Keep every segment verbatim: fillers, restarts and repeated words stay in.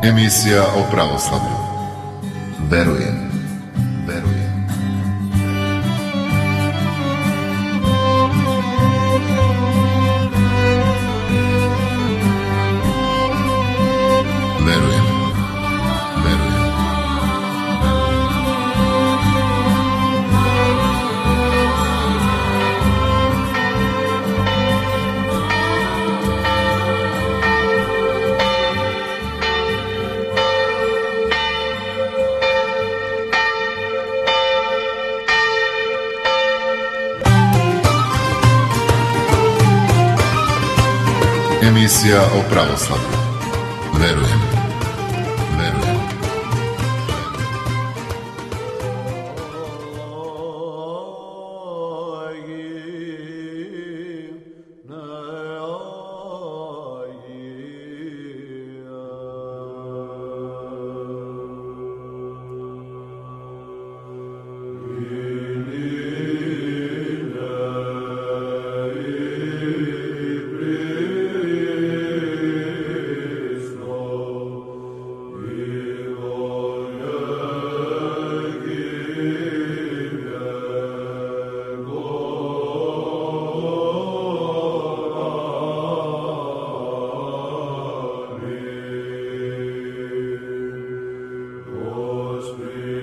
Emisija o pravoslavlju. Verujem, verujem. Verujem, verujem. Emisija o pravoslavlju. Verujem, verujem. Amen.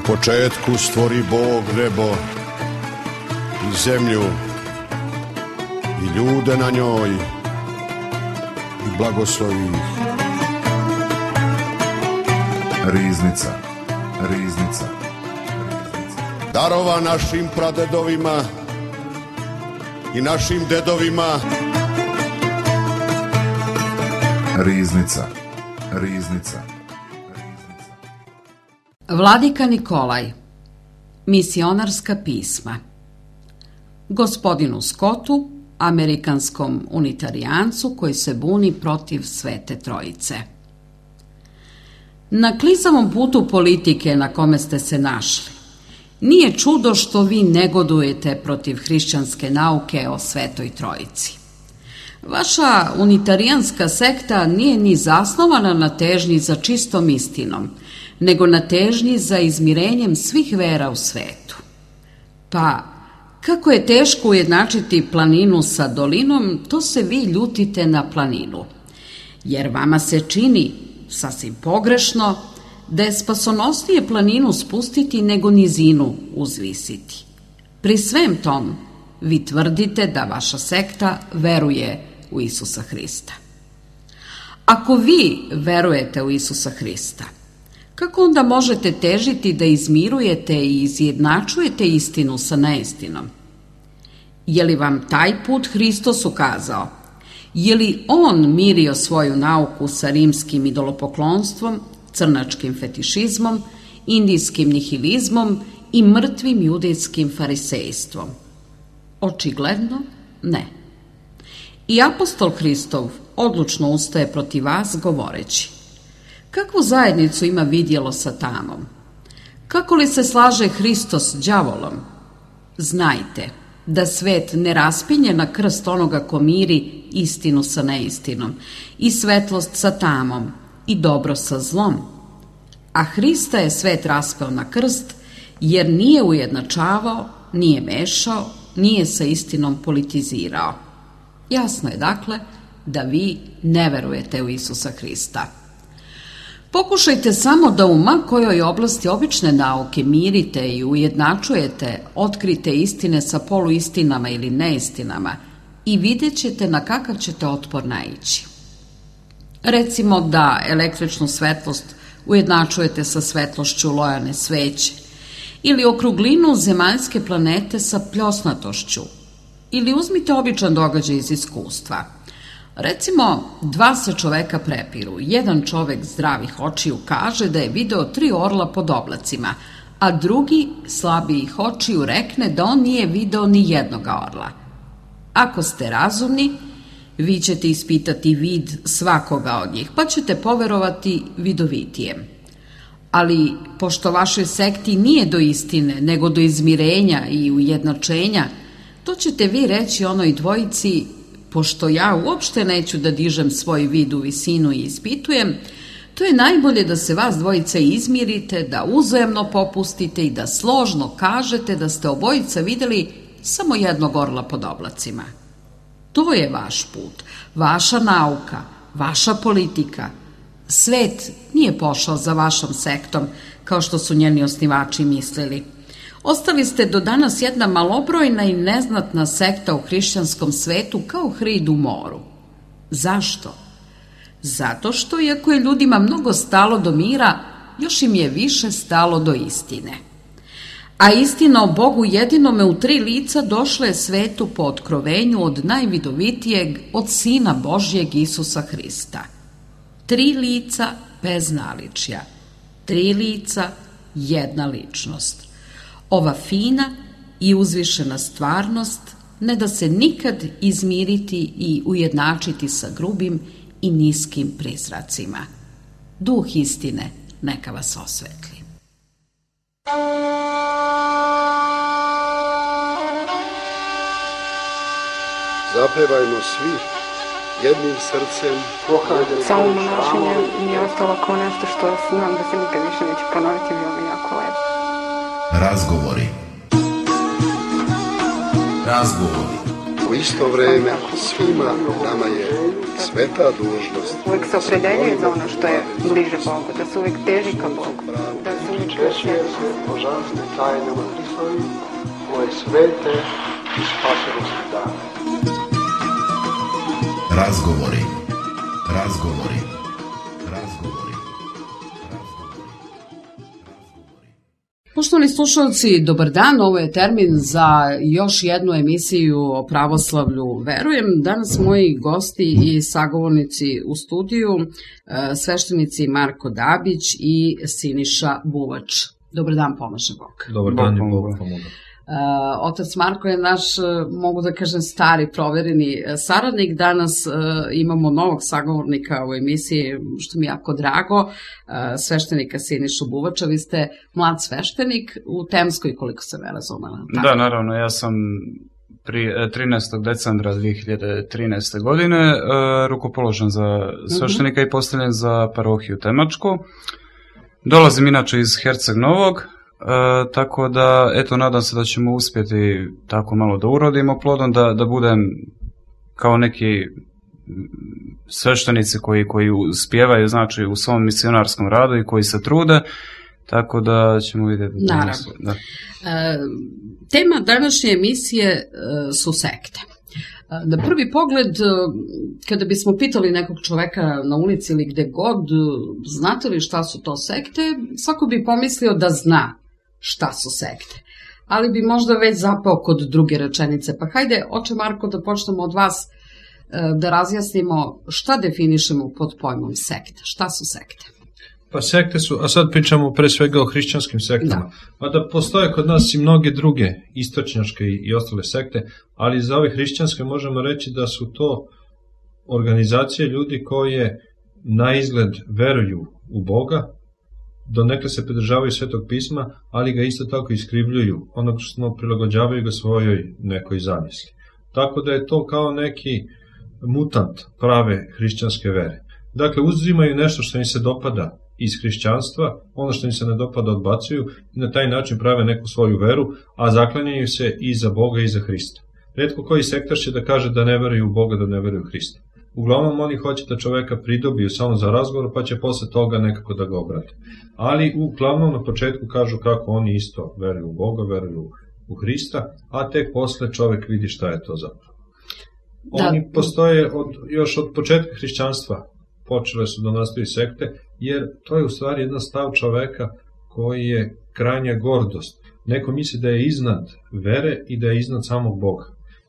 početku stvori Bog nebo i zemlju i ljude na njoj i blagoslovi ih. Riznica, riznica, darova našim pradedovima i našim dedovima. Riznica, riznica. Vladika Nikolaj. Misionarska pisma. Gospodinu Scottu, amerikanskom unitarijancu koji se buni protiv Svete Trojice. Na klizavom putu politike na kome ste se našli, nije čudo što vi negodujete protiv hrišćanske nauke o Svetoj Trojici. Vaša unitarijanska sekta nije ni zasnovana na težnji za čistom istinom, nego na težnji za izmirenjem svih vera u svetu. Pa, kako je teško ujednačiti planinu sa dolinom, to se vi ljutite na planinu, jer vama se čini, sasvim pogrešno, da je spasonosnije planinu spustiti nego nizinu uzvisiti. Pri svem tom, vi tvrdite da vaša sekta veruje u Isusa Hrista. Ako vi verujete u Isusa Hrista, kako onda možete težiti da izmirujete i izjednačujete istinu sa neistinom? Je li vam taj put Hristos ukazao? Je li on mirio svoju nauku sa rimskim idolopoklonstvom, crnačkim fetišizmom, indijskim nihilizmom i mrtvim judejskim farisejstvom? Očigledno ne. I apostol Hristov odlučno ustaje protiv vas govoreći: kakvu zajednicu ima vidjelo sa tamom? Kako li se slaže Hristos s đavolom? Znajte da svet ne raspinje na krst onoga ko miri istinu sa neistinom, i svetlost sa tamom, i dobro sa zlom. A Hrista je svet raspeo na krst, jer nije ujednačavao, nije mešao, nije sa istinom politizirao. Jasno je dakle da vi ne verujete u Isusa Hrista. Pokušajte samo da u ma kojoj oblasti obične nauke mirite i ujednačujete, otkrite istine sa poluistinama ili neistinama i vidjet ćete na kakav ćete otpor naići. Recimo da električnu svetlost ujednačujete sa svetlošću lojane sveće, ili okruglinu zemaljske planete sa pljosnatošću, ili uzmite običan događaj iz iskustva. Recimo, dva se čoveka prepiru. Jedan čovek zdravih očiju kaže da je video tri orla pod oblacima, a drugi slabijih očiju rekne da on nije video ni jednoga orla. Ako ste razumni, vi ćete ispitati vid svakoga od njih, pa ćete poverovati vidovitijem. Ali, pošto vašoj sekti nije do istine, nego do izmirenja i ujednačenja, to ćete vi reći onoj dvojici: pošto ja uopšte neću da dižem svoj vid u visinu i ispitujem, to je najbolje da se vas dvojica izmirite, da uzajamno popustite i da složno kažete da ste obojica videli samo jednog orla pod oblacima. To je vaš put, vaša nauka, vaša politika. Svet nije pošao za vašom sektom, kao što su njeni osnivači mislili. Ostali ste do danas jedna malobrojna i neznatna sekta u hrišćanskom svetu kao hrid u moru. Zašto? Zato što, iako je ljudima mnogo stalo do mira, još im je više stalo do istine. A istina o Bogu jedinome u tri lica došla je svetu po otkrovenju od najvidovitijeg, od Sina Božjeg Isusa Hrista. Tri lica bez naličja. Tri lica, jedna ličnost. Ova fina i uzvišena stvarnost ne da se nikad izmiriti i ujednačiti sa grubim i niskim prizracima. Duh istine neka vas osvetli. Zapevajmo svi jednim srcem. Samo monašenje mi je ostalo kao nešto što znam da se nikad više neće ponoviti, bilo mi jako lepo. Razgovori. Razgovori. U isto vreme svima nama je sveta dužnost. Uvijek se opredeljuje za ono što je bliže Bogu, da se uvijek teži ka Bogu. Da se uvijek Češuje se božanstvim tajnama Hristovim, koje svete i spasonosne dane. Razgovori. Razgovori. Razgovori. Poštovani slušalci, dobar dan, ovo je termin za još jednu emisiju o pravoslavlju Verujem. Danas moji gosti i sagovornici u studiju, sveštenici Marko Dabić i Siniša Buvač. Dobar dan, pomaže Bog. Dobar dan i Bog pomoga. Otac Marko je naš, mogu da kažem, stari, provereni saradnik. Danas imamo novog sagovornika u emisiji, što mi je jako drago, sveštenika Sinišu Buvača. Vi ste mlad sveštenik u Temskoj, koliko sam ja razumela. Da, naravno, ja sam trinaestog decembra dve hiljade trinaeste. godine rukopoložen za sveštenika i postavljen za parohiju Temačku. Dolazim inače iz Herceg Novog, E, tako da, eto, nadam se da ćemo uspjeti tako malo da urodimo plodom, da, da budem kao neki sveštenici koji, koji uspijevaju, znači, u svom misionarskom radu i koji se trude, tako da ćemo vidjeti. Naravno. Da. E, tema današnje emisije e, su sekte. Na prvi pogled, kada bismo pitali nekog čoveka na ulici ili gde god, znate li šta su to sekte, svako bi pomislio da zna šta su sekte. Ali bi možda već zapao kod druge rečenice. Pa hajde, oče Marko, da počnemo od vas, da razjasnimo šta definišemo pod pojmom sekta. Šta su sekte? Pa sekte su, a sad pričamo pre svega o hrišćanskim sektama, a da postoje kod nas i mnoge druge istočnjačke i ostale sekte, ali za ove hrišćanske možemo reći da su to organizacije ljudi koje na izgled veruju u Boga, donekle se pridržavaju Svetog pisma, ali ga isto tako iskrivljuju, odnosno prilagođavaju ga svojoj nekoj zamisli. Tako da je to kao neki mutant prave hrišćanske vere. Dakle, uzimaju nešto što im se dopada iz hrišćanstva, ono što im se ne dopada odbacuju i na taj način prave neku svoju veru, a zaklanjaju se i za Boga i za Hrista. Retko koji sektar će da kaže da ne veruju u Boga, da ne veruju u Hrista. Uglavnom oni hoće da čoveka pridobiju samo za razgovor, pa će posle toga nekako da ga obrate. Ali uglavnom na početku kažu kako oni isto veruju u Boga, veruju u Hrista, a tek posle čovek vidi šta je to zapravo. Da. Oni postoje od, još od početka hrišćanstva, počele su da nastaju sekte, jer to je u stvari jedan stav čoveka koji je krajnja gordost. Neko misli da je iznad vere i da je iznad samog Boga.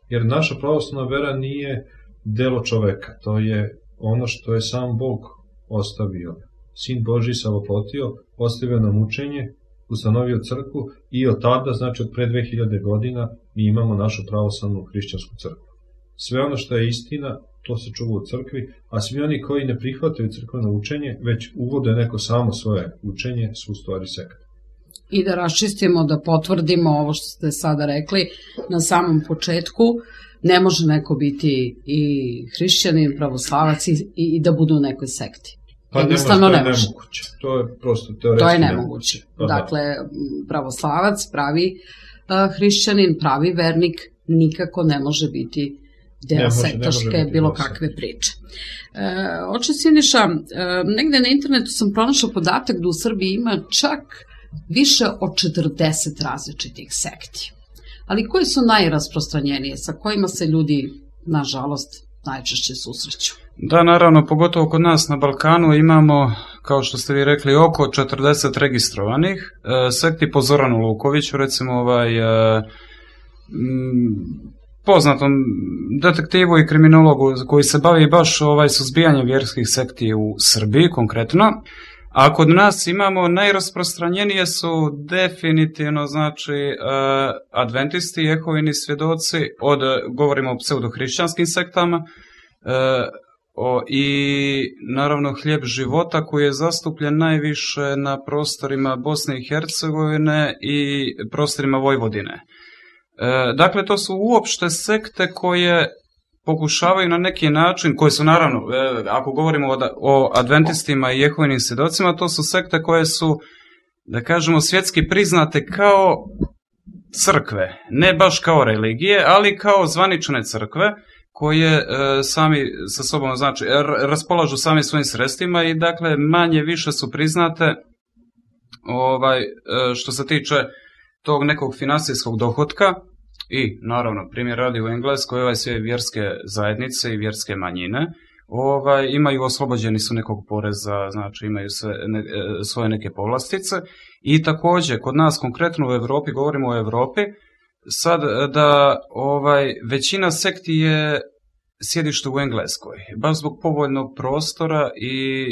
Jer naša pravoslavna vera nije delo čoveka, to je ono što je sam Bog ostavio. Sin Božji se oplotio, ostavio nam učenje, ustanovio crkvu i od tada, znači od pre dve hiljade godina, mi imamo našu pravoslavnu hrišćansku crkvu. Sve ono što je istina, to se čuva u crkvi, a svi oni koji ne prihvataju crkveno učenje, već uvode neko samo svoje učenje, su u stvari sekte. I da raščistimo, da potvrdimo ovo što ste sada rekli na samom početku, ne može neko biti i hrišćanin, pravoslavac i, i da budu u nekoj sekti. Pa jednostavno ne može. Nemoguće. To je prosto teoretski To je nemoguće. Pa dakle, pravoslavac, pravi uh, hrišćanin, pravi vernik nikako ne može biti deo sektaške bilo kakve priče. E, oče Siniša, e, negde na internetu sam pronašao podatak da u Srbiji ima čak više od četrdeset različitih sekti. Ali koje su najrasprostranjenije, sa kojima se ljudi, nažalost, najčešće susreću? Da, naravno, pogotovo kod nas na Balkanu imamo, kao što ste vi rekli, oko četrdeset registrovanih. E, sekti po Zoranu Lukoviću, recimo ovaj... E, m, poznatom detektivu i kriminologu koji se bavi baš ovaj suzbijanjem vjerskih sekti u Srbiji konkretno. A kod nas imamo najrasprostranjenije su definitivno znači adventisti, jehovini svjedoci, od, govorimo o pseudohrišćanskim sektama, o, i naravno hljeb života koji je zastupljen najviše na prostorima Bosne i Hercegovine i prostorima Vojvodine. Dakle, to su uopšte sekte koje pokušavaju na neki način, koje su naravno, ako govorimo o adventistima i jehovinim svjedocima, to su sekte koje su, da kažemo, svjetski priznate kao crkve, ne baš kao religije, ali kao zvanične crkve, koje e, sami sa sobom, znači, raspolažu sami svojim sredstvima i dakle manje više su priznate ovaj, e, što se tiče tog nekog financijskog dohotka i naravno primjer radi u Engleskoj, ovaj sve vjerske zajednice i vjerske manjine ovaj, imaju oslobođeni su nekog poreza, znači imaju sve, ne, svoje neke povlastice i također kod nas konkretno u Europi, govorimo o Europi, sad da ovaj, većina sekti je sjedište u Engleskoj, baš zbog povoljnog prostora i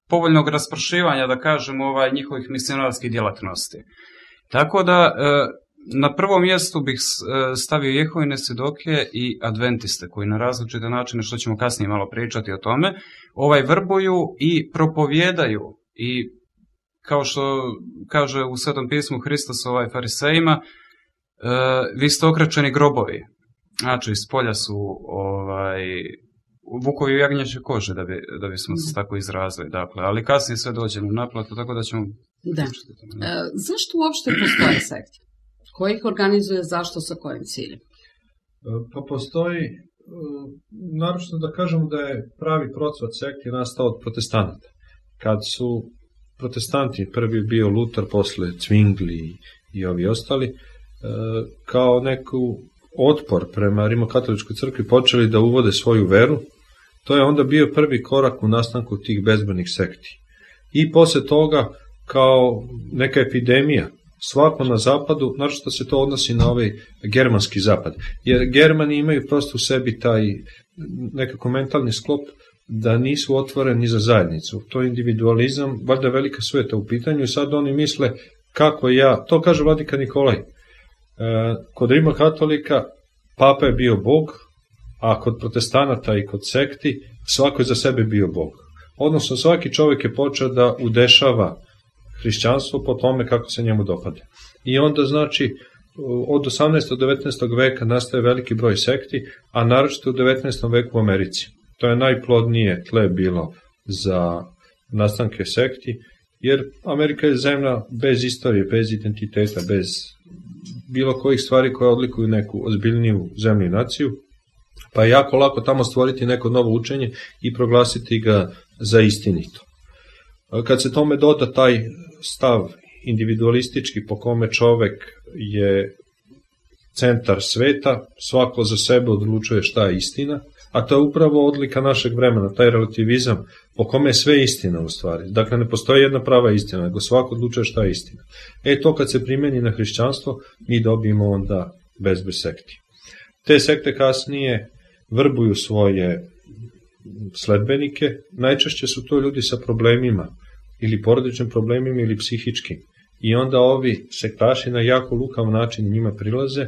povoljnog raspršivanja, da kažem, ovaj, njihovih misionarskih djelatnosti. Tako da na prvom mjestu bih stavio Jehovine svjedoke i adventiste koji na različite načine, što ćemo kasnije malo pričati o tome, ovaj vrbuju i propovijedaju i kao što kaže u Svetom pismu Hristos ovaj farisejima, vi ste okrećeni grobovi. Znači, iz polja su ovaj, vukovi u jagnjeće kože, da, bi, da bismo se tako izrazili. Dakle, ali kasnije sve dođemo u naplatu, tako da ćemo... Da. E, zašto uopšte postoje sekte? Ko ih organizuje, zašto, sa kojim ciljem? Pa postoji, naročito da kažemo da je pravi procvat sekti nastao od protestanata. Kad su protestanti, prvi bio Luter, posle Zwingli i ovi ostali, kao neku otpor prema rimokatoličkoj crkvi počeli da uvode svoju veru, to je onda bio prvi korak u nastanku tih bezbrojnih sekti. I posle toga, kao neka epidemija, svako na zapadu, naročito se to odnosi na ovaj germanski zapad, jer Germani imaju prosto u sebi taj nekako mentalni sklop da nisu otvoreni za zajednicu. To je individualizam, valjda velika sveta u pitanju i sad oni misle kako ja, to kaže vladika Nikolaj, kod Rima katolika papa je bio Bog, a kod protestanata i kod sekti svako je za sebe bio Bog. Odnosno svaki čovjek je počeo da udešava hrišćanstvo po tome kako se njemu dopade. I onda znači od osamnaestog do devetnaestog veka nastaje veliki broj sekti, a naročito u devetnaestom veku u Americi. To je najplodnije tle bilo za nastanke sekti, jer Amerika je zemlja bez istorije, bez identiteta, bez bilo kojih stvari koje odlikuju neku ozbiljniju zemlju i naciju, pa je jako lako tamo stvoriti neko novo učenje i proglasiti ga za istinito. Kad se tome doda taj stav individualistički po kome čovek je centar sveta, svako za sebe odlučuje šta je istina, a to je upravo odlika našeg vremena, taj relativizam po kome je sve istina u stvari. Dakle, ne postoji jedna prava istina, nego svako odlučuje šta je istina. E, to kad se primjeni na hrišćanstvo, mi dobijemo onda bezbroj sekti. Te sekte kasnije vrbuju svoje sledbenike, najčešće su to ljudi sa problemima, ili porodičnim problemima, ili psihičkim. I onda ovi sektaši na jako lukav način njima prilaze,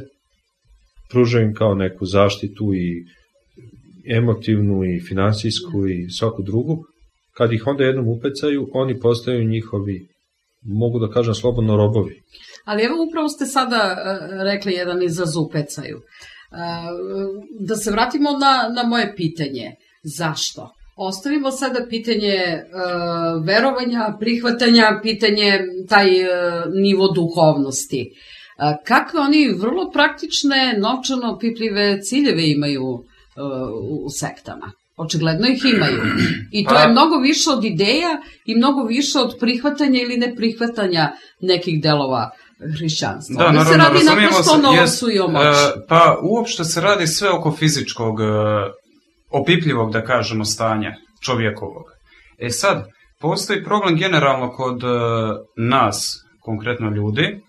pružaju im kao neku zaštitu i emotivnu i finansijsku i svaku drugu. Kad ih onda jednom upecaju, oni postaju njihovi, mogu da kažem slobodno, robovi. Ali evo upravo ste sada rekli jedan izraz upecaju. Da se vratimo na, na moje pitanje. Zašto? Ostavimo sada pitanje e, verovanja, prihvatanja, pitanje taj e, nivo duhovnosti. E, kakve oni vrlo praktične, novčano pipljive ciljeve imaju e, u sektama? Očigledno ih imaju. I to je mnogo više od ideja i mnogo više od prihvatanja ili neprihvatanja nekih delova hrišćanstva. Da, naravno, se radi razumijemo se, o novosu i o moći. E, pa uopšte se radi sve oko fizičkog, e, opipljivog, da kažemo, stanja čovjekovog. E sad, postoji problem generalno kod e, nas, konkretno ljudi,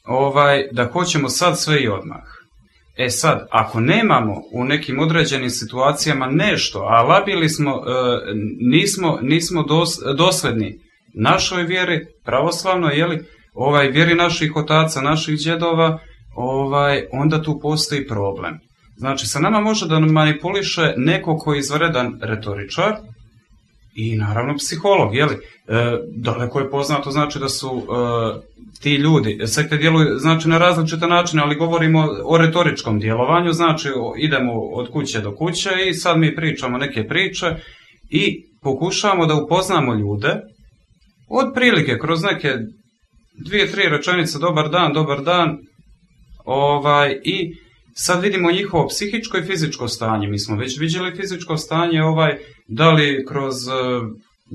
ovaj, da hoćemo sad sve i odmah. E sad, ako nemamo u nekim određenim situacijama nešto, a labili smo, e, nismo, nismo dos, dosledni našoj vjeri, pravoslavno, jeli, ovaj, vjeri naših otaca, naših djedova, ovaj, onda tu postoji problem. Znači, sa nama može da manipuliše neko koji je izvanredan retoričar i naravno psiholog, jeli? E, daleko je poznato, znači da su e, ti ljudi, sekte djeluju znači, na različite načine, ali govorimo o retoričkom djelovanju, znači idemo od kuće do kuće i sad mi pričamo neke priče i pokušavamo da upoznamo ljude, otprilike kroz neke dvije, tri rečenice, dobar dan, dobar dan, ovaj, i sad vidimo njihovo psihičko i fizičko stanje. Mi smo već vidjeli fizičko stanje, ovaj, da li kroz uh,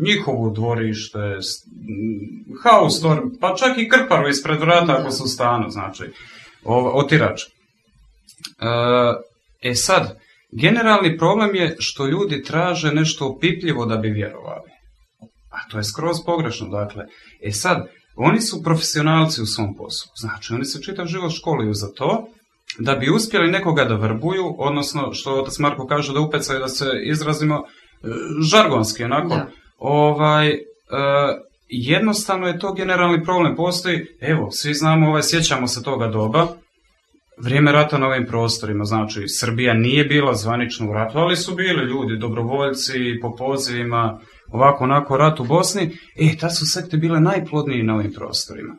njihovo dvorište, house store, pa čak i krparu ispred vrata ako su u stanu, znači, otirač. Uh, e sad, generalni problem je što ljudi traže nešto opipljivo da bi vjerovali. A to je skroz pogrešno, dakle. E sad, oni su profesionalci u svom poslu. Znači, oni se čitav život školuju za to, da bi uspjeli nekoga da vrbuju, odnosno, što otac Marko kaže, da upecaju, da se izrazimo žargonski, onako. Da. Ovaj, e, jednostavno je to generalni problem. Postoji, evo, svi znamo, ovaj, sjećamo se toga doba, vrijeme rata na ovim prostorima, znači, Srbija nije bila zvanično u ratu, ali su bili ljudi, dobrovoljci, po pozivima, ovako, onako, rat u Bosni. E, ta su sekte bile najplodniji na ovim prostorima.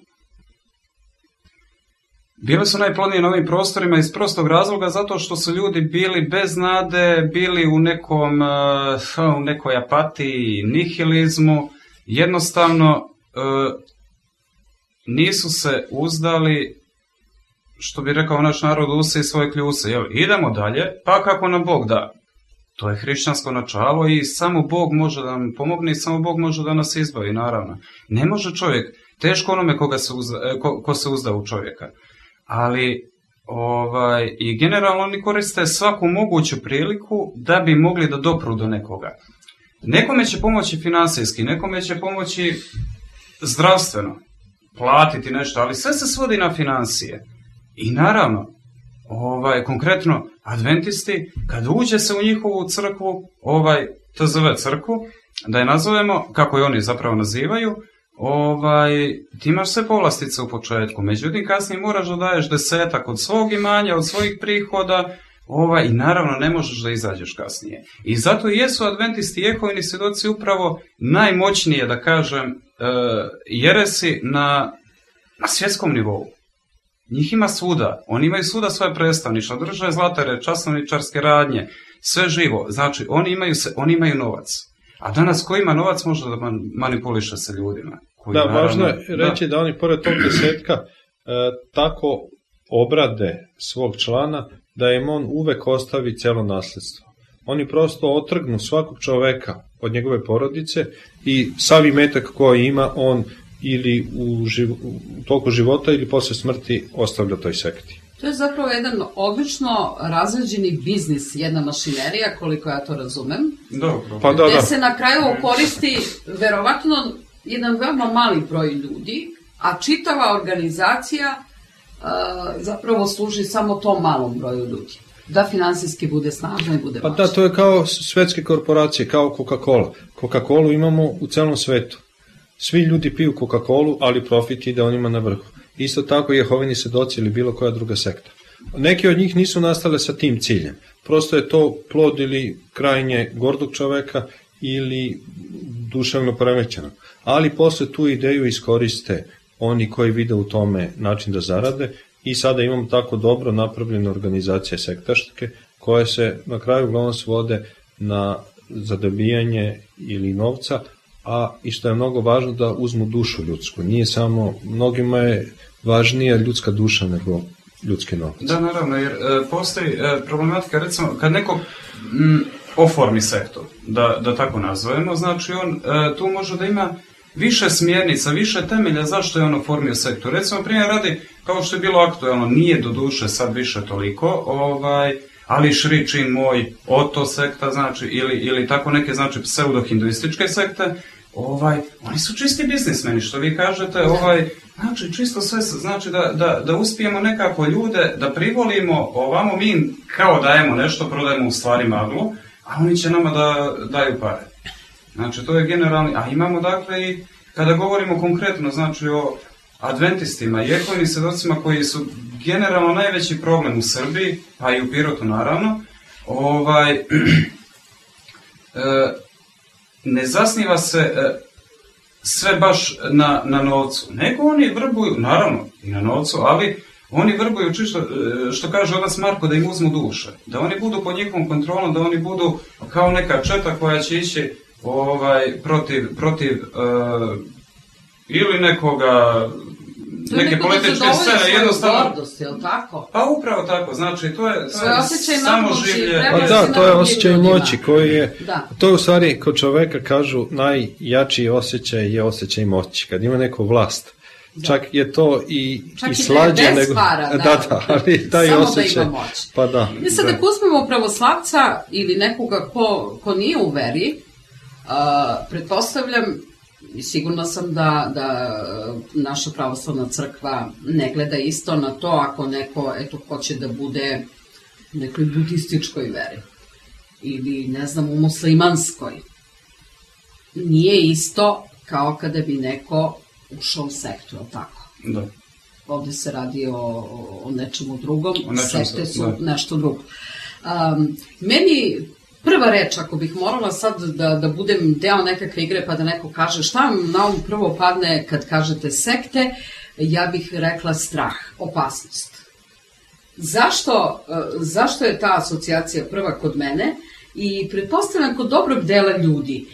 Bile su najplodnije na ovim prostorima iz prostog razloga zato što su ljudi bili bez nade, bili u nekom, u nekoj apatiji, nihilizmu, jednostavno nisu se uzdali, što bi rekao naš narod, use i svoje kljuse. Jel, idemo dalje, pa kako nam Bog da. To je hrišćansko načelo i samo Bog može da nam pomogne i samo Bog može da nas izbavi, naravno. Ne može čovjek, teško onome koga se uzda, ko, ko se uzda u čovjeka. Ali ovaj, i generalno oni koriste svaku moguću priliku da bi mogli da dopru do nekoga. Nekome će pomoći finansijski, nekome će pomoći zdravstveno, platiti nešto, ali sve se svodi na financije. I naravno, ovaj, konkretno, adventisti, kad uđe se u njihovu crkvu, ovaj, T Z V crkvu, da je nazovemo, kako je oni zapravo nazivaju, ovaj, ti imaš sve povlastice u početku, međutim kasnije moraš da daješ desetak od svog imanja, od svojih prihoda, ovaj, i naravno ne možeš da izađeš kasnije. I zato jesu adventisti i Jehovini svjedoci upravo najmoćnije, da kažem, jeresi na, na svjetskom nivou. Njih ima svuda, oni imaju svuda svoje predstavništvo, drže zlatare, časnovničarske radnje, sve živo, znači oni imaju, se, oni imaju novac. A danas ko ima novac može da manipuliše sa ljudima. Koji, da, naravno, važno je reći da. da oni pored tog desetka e, tako obrade svog člana da im on uvek ostavi cijelo nasljedstvo. Oni prosto otrgnu svakog čoveka od njegove porodice i sav imetak koji ima on ili u, živ, u toku života ili posle smrti ostavlja toj sekti. To je zapravo jedan obično razređeni biznis, jedna mašinerija, koliko ja to razumem. Dobro. Pa da, gde da. se na kraju koristi verovatno jedan veoma mali broj ljudi, a čitava organizacija uh, zapravo služi samo tom malom broju ljudi. Da finansijski bude snažno i bude Pa važno. da, to je kao svetske korporacije, kao Coca-Cola. Coca-Colu imamo u celom svetu. Svi ljudi piju Coca-Colu, ali profit ide onima na vrhu. Isto tako Jehovini svedoci ili bilo koja druga sekta. Neki od njih nisu nastale sa tim ciljem. Prosto je to plod ili krajnje gordog čoveka ili duševno poremećenog. Ali posle tu ideju iskoriste oni koji vide u tome način da zarade i sada imamo tako dobro napravljene organizacije sektaške koje se na kraju uglavnom svode na zadobijanje ili novca, a i što je mnogo važno da uzmu dušu ljudsku. Nije samo, mnogima je važnija ljudska duša nego ljudski novac. Da, naravno, jer e, postoji e, problematika, recimo, kad neko m, oformi sektor, da, da tako nazovemo, znači on e, tu može da ima više smjernica, više temelja zašto je on oformio sektor. Recimo, primjer radi, kao što je bilo aktualno, nije do duše sad više toliko, ovaj, ali Šričin moj, Oto sekta, znači, ili, ili tako neke, znači, pseudo-hinduističke sekte, ovaj, oni su čisti biznismeni, što vi kažete, ovaj, znači, čisto sve, znači, da, da, da uspijemo nekako ljude, da privolimo, ovamo mi kao dajemo nešto, prodajemo u stvari maglu, a oni će nama da daju pare. Znači, to je generalni, a imamo, dakle, i kada govorimo konkretno, znači, o adventistima i Jehovinim svjedocima koji su generalno najveći problem u Srbiji, pa i u Pirotu naravno, ovaj, e, ne zasniva se e, sve baš na, na novcu, nego oni vrbuju, naravno i na novcu, ali oni vrbuju čisto, što kaže otac Marko, da im uzmu duše, da oni budu pod njihovom kontrolom, da oni budu kao neka četa koja će ići ovaj, protiv, protiv e, ili nekoga neke političke scene jednostavno... Gordost, je li tako? Pa upravo tako, znači to je, to je samo življe. Pa da, to je osjećaj moći koji je, da. To je u stvari kod čoveka kažu najjači osjećaj je osjećaj moći, kad ima neku vlast. Da. Čak je to i, Čak i slađe bez nego... para, da, da, da, ali taj samo osjećaj... da ima moć. Pa da. Mi sad da uzmemo pravoslavca ili nekoga ko, ko nije u veri, uh, pretpostavljam, i sigurna sam da, da naša pravoslavna crkva ne gleda isto na to ako neko eto, hoće da bude u nekoj budističkoj veri ili ne znam u muslimanskoj. Nije isto kao kada bi neko ušao u sektu, je li tako? Da. Ovde se radi o, o nečemu drugom, o nečem sekte su da. nešto drugo. Um, meni prva reč, ako bih morala sad da, da budem deo nekakve igre pa da neko kaže šta vam na um prvo padne kad kažete sekte, ja bih rekla strah, opasnost. Zašto, zašto je ta asocijacija prva kod mene? I pretpostavljam kod dobrog dela ljudi.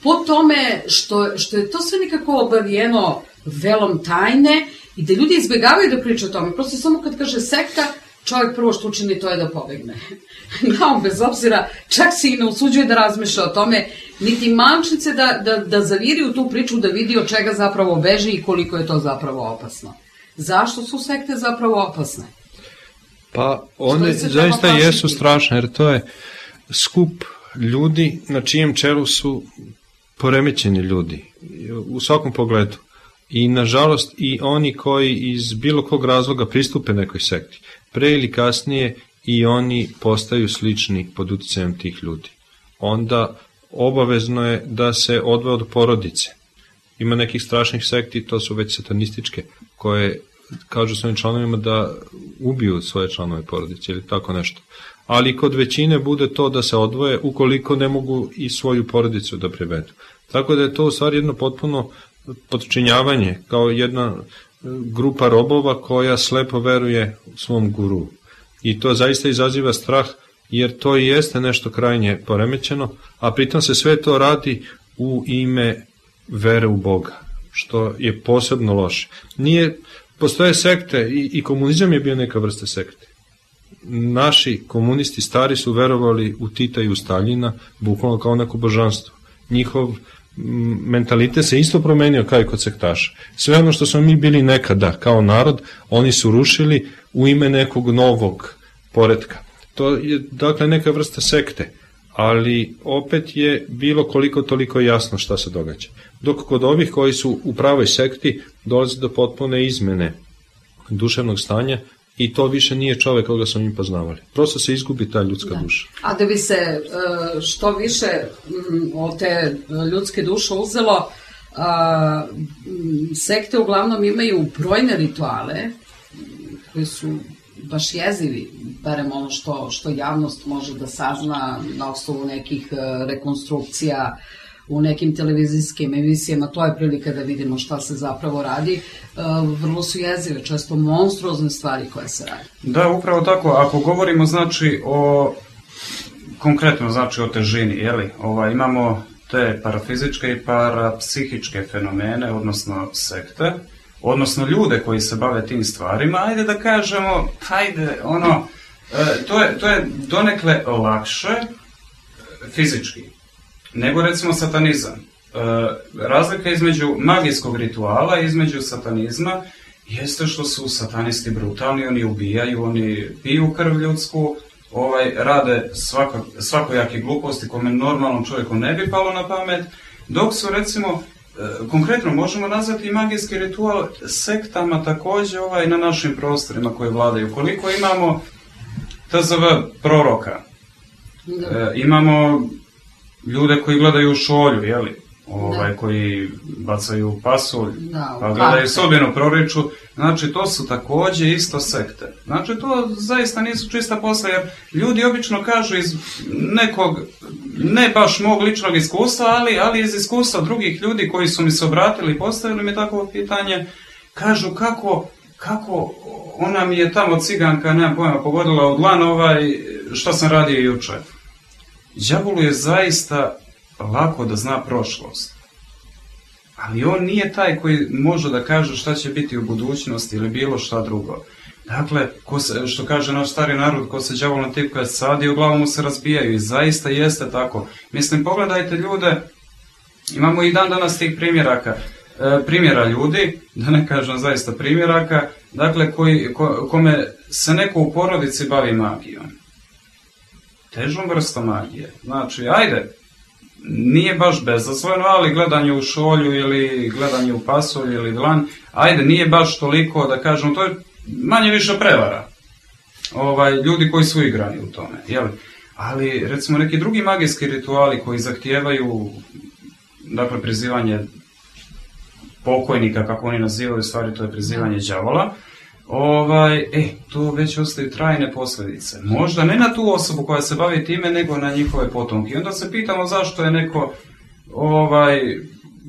Po tome što, što je to sve nekako obavijeno velom tajne i da ljudi izbjegavaju da pričaju o tome. Prosto samo kad kaže sekta, čovjek prvo što učini to je da pobegne. No, bez obzira, čak se i ne usuđuje da razmišlja o tome, niti mančice da, da, da zaviri u tu priču, da vidi od čega zapravo beži i koliko je to zapravo opasno. Zašto su sekte zapravo opasne? Pa one zaista jesu strašne, jer to je skup ljudi na čijem čelu su poremećeni ljudi u svakom pogledu. I nažalost i oni koji iz bilo kog razloga pristupe nekoj sekti, pre ili kasnije i oni postaju slični pod uticajem tih ljudi. Onda obavezno je da se odvoje od porodice. Ima nekih strašnih sekti, to su već satanističke, koje kažu svojim članovima da ubiju svoje članove porodice ili tako nešto. Ali kod većine bude to da se odvoje ukoliko ne mogu i svoju porodicu da privedu. Tako da je to u stvari jedno potpuno podčinjavanje, kao jedna grupa robova koja slepo veruje svom guru. I to zaista izaziva strah, jer to i jeste nešto krajnje poremećeno, a pritom se sve to radi u ime vere u Boga, što je posebno loše. Nije, postoje sekte i, i komunizam je bio neka vrsta sekte. Naši komunisti stari su verovali u Tita i u Staljina, bukvalno kao neko božanstvo. Njihov mentalitet se isto promenio kao i kod sektaša. Sve ono što smo mi bili nekada kao narod, oni su rušili u ime nekog novog poretka. To je dakle neka vrsta sekte, ali opet je bilo koliko toliko jasno šta se događa. Dok kod ovih koji su u pravoj sekti dolazi do potpune izmene duševnog stanja i to više nije čovek koga smo mi poznavali. Prosto se izgubi ta ljudska da. duša. A da bi se što više od te ljudske duše uzelo, sekte uglavnom imaju brojne rituale koji su baš jezivi, barem ono što, što javnost može da sazna na osnovu nekih rekonstrukcija u nekim televizijskim emisijama, to je prilika da vidimo šta se zapravo radi. Vrlo su jezive, često monstruozne stvari koje se radi. Da, upravo tako. Ako govorimo znači o konkretno znači o težini, jeli? Ovaj, imamo te parafizičke i parapsihičke fenomene, odnosno sekte, odnosno ljude koji se bave tim stvarima, ajde da kažemo, ajde, ono, to je, to je donekle lakše fizički nego recimo satanizam. E, razlika između magijskog rituala i između satanizma jeste što su satanisti brutalni, oni ubijaju, oni piju krv ljudsku, ovaj, rade svako, svakojake gluposti kome normalnom čovjeku ne bi palo na pamet, dok su recimo, e, konkretno možemo nazvati i magijski ritual sektama također ovaj, na našim prostorima koje vladaju. Koliko imamo T Z V proroka, e, imamo ljude koji gledaju šolju, jeli? Ovaj, koji bacaju pasulj, da, pa gledaju sudbinu proriču, znači to su također isto sekte. Znači to zaista nisu čista posla, jer ljudi obično kažu iz nekog, ne baš mog ličnog iskustva, ali, ali iz iskustva drugih ljudi koji su mi se obratili i postavili mi takvo pitanje, kažu kako, kako ona mi je tamo ciganka, nemam pojma, pogodila u dlan ovaj, što sam radio juče. Đavolu je zaista lako da zna prošlost, ali on nije taj koji može da kaže šta će biti u budućnosti ili bilo šta drugo. Dakle, ko se, što kaže naš stari narod, ko se đavol na tipka sadi, u glavu mu se razbijaju i zaista jeste tako. Mislim, pogledajte ljude, imamo i dan danas tih primjeraka, e, primjera ljudi, da ne kažem zaista primjeraka, dakle, koji, ko, kome se neko u porodici bavi magijom. Težom vrstom magije. Znači, ajde, nije baš bezazleno, ali gledanje u šolju ili gledanje u pasulj ili dlan, ajde, nije baš toliko, da kažem, to je manje više prevara. Ovaj, ljudi koji su igrani u tome, jel? Ali, recimo, neki drugi magijski rituali koji zahtijevaju, dakle, prizivanje pokojnika, kako oni nazivaju, u stvari to je prizivanje đavola, ovaj, e, to već ostaju trajne posljedice. Možda ne na tu osobu koja se bavi time, nego na njihove potomke. I onda se pitamo zašto je neko ovaj,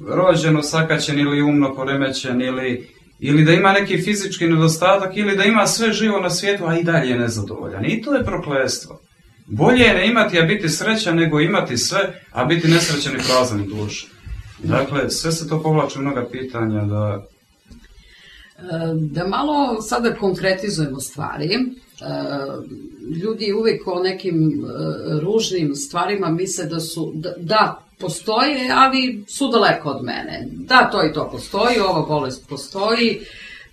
rođen, osakaćen ili umno poremećen, ili, ili da ima neki fizički nedostatak, ili da ima sve živo na svijetu, a i dalje je nezadovoljan. I to je prokletstvo. Bolje je ne imati, a biti srećan, nego imati sve, a biti nesrećan i prazan duša. Dakle, sve se to povlači mnoga pitanja da... Da malo sada konkretizujemo stvari. Ljudi uvijek o nekim ružnim stvarima misle da su, da, da postoje, ali su daleko od mene. Da, to i to postoji, ova bolest postoji,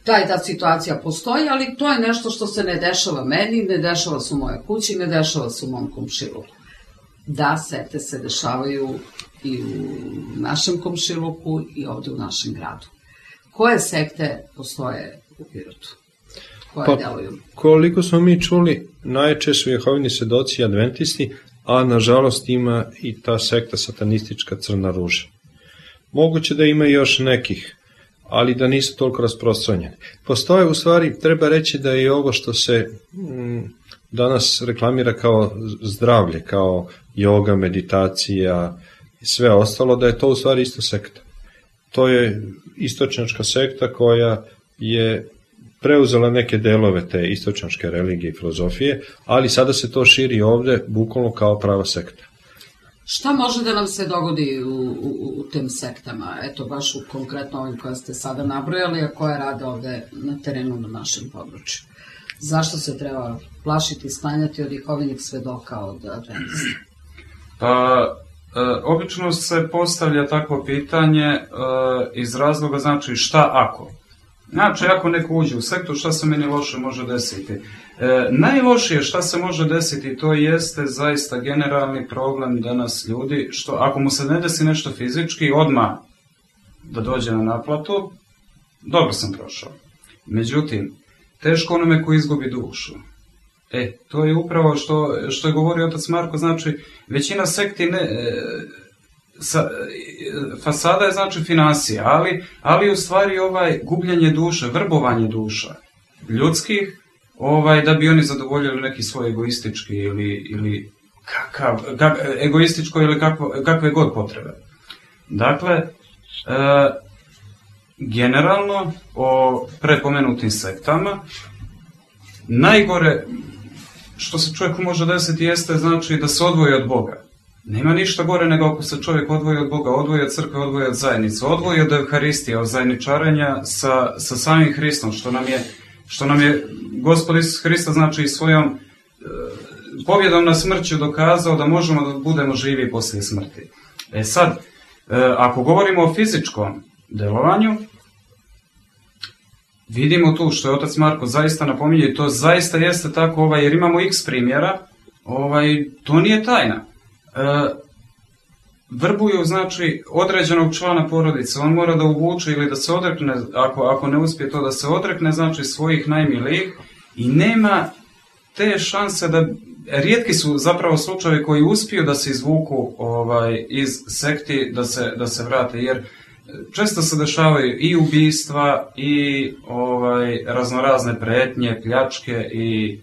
ta i ta situacija postoji, ali to je nešto što se ne dešava meni, ne dešava se u mojoj kući, ne dešava se u mom komšiluku. Da, sekte se dešavaju i u našem komšiluku i ovdje u našem gradu. Koje sekte postoje u Pirotu? Koje pa, deluju? Koliko smo mi čuli, najčešće su Jehovini svedoci i adventisti, a nažalost ima i ta sekta satanistička Crna ruža. Moguće da ima još nekih, ali da nisu toliko rasprostranjeni. Postoje, u stvari, treba reći da je ovo što se m, danas reklamira kao zdravlje, kao joga, meditacija i sve ostalo, da je to u stvari isto sekta. To je istočnjačka sekta koja je preuzela neke delove te istočnjačke religije i filozofije, ali sada se to širi ovde bukvalno kao prava sekta. Šta može da nam se dogodi u, u, u tim sektama? Eto, baš u konkretno ovim koje ste sada nabrojali, a koje rade ovde na terenu na našem području. Zašto se treba plašiti i sklanjati od Jehovinih svedoka, od adventista? Pa... E, obično se postavlja takvo pitanje e, iz razloga, znači, šta ako? Znači, ako neko uđe u sektu, šta se meni loše može desiti? E, najlošije šta se može desiti, to jeste zaista generalni problem danas ljudi, što ako mu se ne desi nešto fizički, odmah da dođe na naplatu, dobro sam prošao. Međutim, teško onome ko izgubi dušu. E, to je upravo što, što je govorio otac Marko, znači, većina sekti ne, e, sa, e, fasada je znači financija, ali, ali u stvari ovaj gubljenje duše, vrbovanje duša ljudskih, ovaj, da bi oni zadovoljili neki svoj egoistički ili, ili kakav, kak, egoističko ili kakvo, kakve god potrebe. Dakle, e, generalno o prepomenutim sektama, najgore što se čovjeku može desiti jeste, znači, da se odvoji od Boga. Nema ništa gore nego ako se čovjek odvoji od Boga, odvoji od crkve, odvoji od zajednice, odvoji od Evharistije, od zajedničarenja sa, sa samim Hristom, što nam je, što nam je Gospod Isus Hrista, znači, svojom e, pobjedom na smrću dokazao da možemo da budemo živi poslije smrti. E sad, e, ako govorimo o fizičkom delovanju, vidimo tu što je otac Marko zaista napominje i to zaista jeste tako, ovaj, jer imamo x primjera, ovaj, to nije tajna. E, vrbuju, znači, određenog člana porodice, on mora da uvuče ili da se odrekne, ako, ako ne uspije to da se odrekne, znači, svojih najmilijih i nema te šanse da, rijetki su zapravo slučajevi koji uspiju da se izvuku ovaj, iz sekti, da se, da se vrate, jer često se dešavaju i ubistva i ovaj, raznorazne pretnje, pljačke i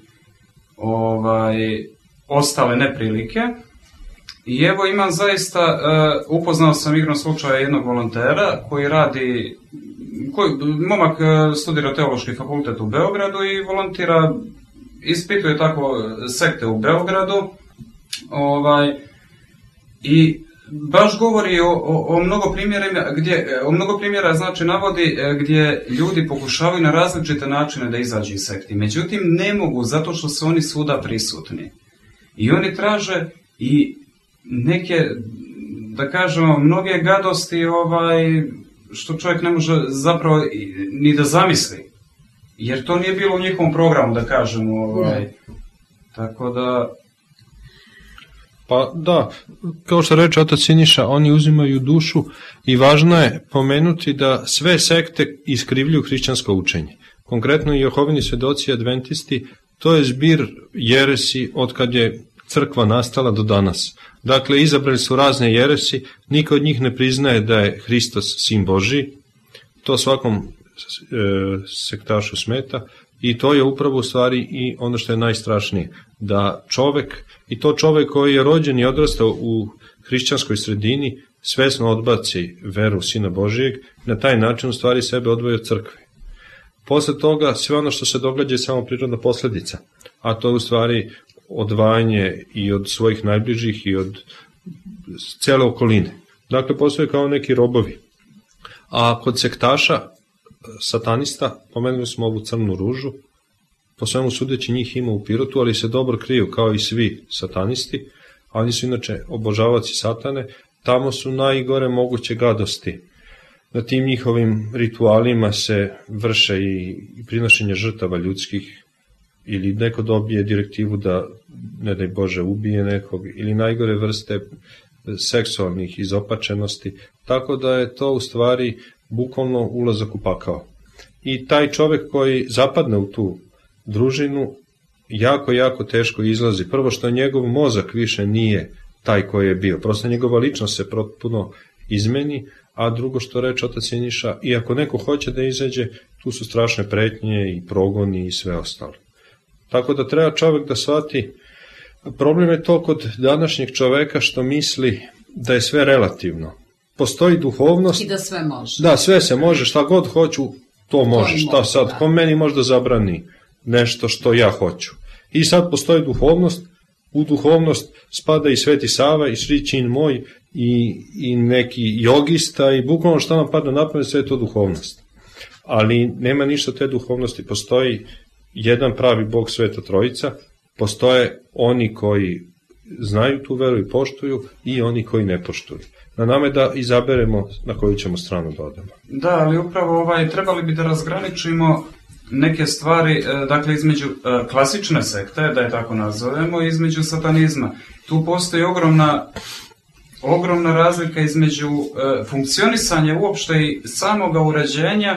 ovaj, ostale neprilike. I evo imam zaista, uh, upoznao sam igrom slučaja jednog volontera koji radi, koji, momak studira teološki fakultet u Beogradu i volontira, ispituje tako sekte u Beogradu. Ovaj, I baš govori o, o, o mnogo primjera, gdje, o mnogo primjera znači navodi gdje ljudi pokušavaju na različite načine da izađu iz sekti. Međutim, ne mogu zato što su oni svuda prisutni. I oni traže i neke, da kažemo, mnoge gadosti ovaj, što čovjek ne može zapravo ni da zamisli. Jer to nije bilo u njihovom programu, da kažemo. Ovaj. Tako da... Pa da, kao što reče otac Siniša, oni uzimaju dušu i važno je pomenuti da sve sekte iskrivljuju hrišćansko učenje. Konkretno i Jehovini svedoci i adventisti, to je zbir jeresi od kad je crkva nastala do danas. Dakle, izabrali su razne jeresi, niko od njih ne priznaje da je Hristos sin Božji, to svakom e, sektašu smeta. I to je upravo u stvari i ono što je najstrašnije, da čovek, i to čovek koji je rođen i odrastao u hrišćanskoj sredini, svesno odbaci veru Sina Božijeg, na taj način u stvari sebe odvoji od crkve. Posle toga sve ono što se događa je samo prirodna posledica, a to je u stvari odvajanje i od svojih najbližih i od cele okoline. Dakle, postoje kao neki robovi. A kod sektaša, satanista, pomenuli smo ovu crnu ružu, po svemu sudeći njih ima u Pirotu, ali se dobro kriju kao i svi satanisti, a oni su inače obožavaci satane, tamo su najgore moguće gadosti. Na tim njihovim ritualima se vrše i prinošenje žrtava ljudskih, ili neko dobije direktivu da, ne daj Bože, ubije nekog, ili najgore vrste seksualnih izopačenosti, tako da je to u stvari bukvalno ulazak u pakao. I taj čovek koji zapadne u tu družinu, jako, jako teško izlazi. Prvo što njegov mozak više nije taj koji je bio. Prosto njegova ličnost se potpuno izmeni, a drugo što reče otac Siniša, i ako neko hoće da izađe, tu su strašne pretnje i progoni i sve ostalo. Tako da treba čovek da shvati, problem je to kod današnjeg čoveka što misli da je sve relativno. Postoji duhovnost. I da sve može. Da, sve se može, šta god hoću, to može. Šta sad, da. Ko meni možda zabrani nešto što ja hoću. I sad postoji duhovnost, u duhovnost spada i Sveti Sava i Sri Čin moj i, i neki jogista i bukvalno šta nam pada na pamet, sve je to duhovnost. Ali nema ništa te duhovnosti, postoji jedan pravi Bog, Sveta Trojica, postoje oni koji znaju tu veru i poštuju i oni koji ne poštuju. Na nama je da izaberemo na koju ćemo stranu da odemo. Da, ali upravo ovaj, trebali bi da razgraničimo neke stvari, dakle između klasične sekte, da je tako nazovemo, i između satanizma. Tu postoji ogromna, ogromna razlika između funkcionisanja uopšte i samoga uređenja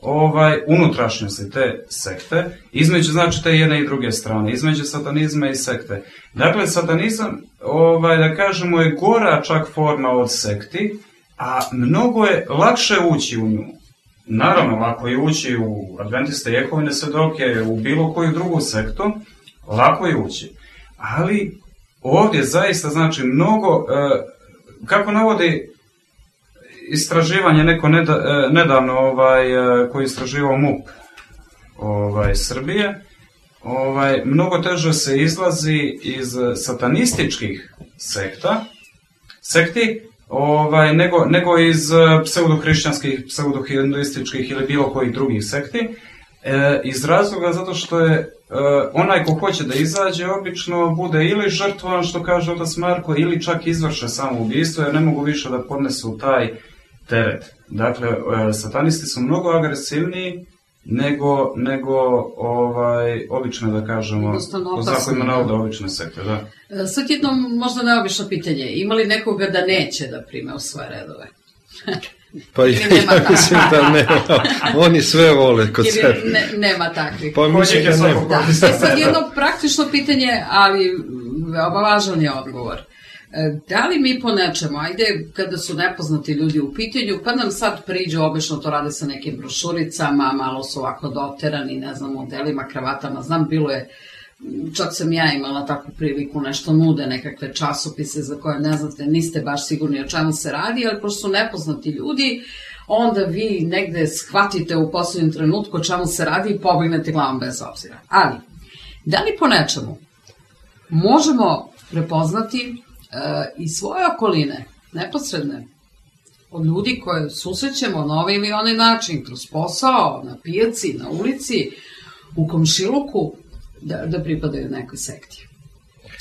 ovaj, unutrašnjosti te sekte, između znači te jedne i druge strane, između satanizma i sekte. Dakle, satanizam, ovaj, da kažemo, je gora čak forma od sekti, a mnogo je lakše ući u nju. Naravno, lako je ući u Adventiste, Jehovine svedoke, u bilo koju drugu sektu, lako je ući. Ali ovdje zaista znači mnogo, kako navodi istraživanje neko nedavno ovaj, koji je istraživao M U P ovaj, Srbije, ovaj, mnogo teže se izlazi iz satanističkih sekta, sekti, ovaj, nego, nego iz pseudohrišćanskih, pseudohinduističkih ili bilo kojih drugih sekti, e, iz razloga zato što je e, onaj ko hoće da izađe obično bude ili žrtvovan, što kaže otac Marko, ili čak izvrše samoubistvo, jer ne mogu više da podnesu taj teret. Dakle, e, satanisti su mnogo agresivniji nego, nego ovaj, obične, da kažemo, po zakonima navoda obične sekte, da. Sad jedno možda neobično pitanje, ima li nekoga da neće da prime u svoje redove? Pa ja mislim da nema, oni sve vole kod sebe. Ne, nema takvih. Pa mislim da nema. Da. E sad jedno praktično pitanje, ali veoma važan je odgovor. Da li mi po nečemu, ajde kada su nepoznati ljudi u pitanju, pa nam sad priđu, obično to rade sa nekim brošuricama, malo su ovako doterani, ne znam, modelima, kravatama, znam, bilo je, čak sam ja imala takvu priliku, nešto nude, nekakve časopise za koje ne znate, niste baš sigurni o čemu se radi, ali pošto su nepoznati ljudi, onda vi negde shvatite u poslednjem trenutku o čemu se radi i pobegnete glavom bez obzira. Ali, da li po nečemu možemo prepoznati iz svoje okoline neposredne, od ljudi koje susrećemo na ovaj ili onaj način, kroz posao, na pijaci, na ulici, u komšiluku, da, da pripadaju nekoj sekti.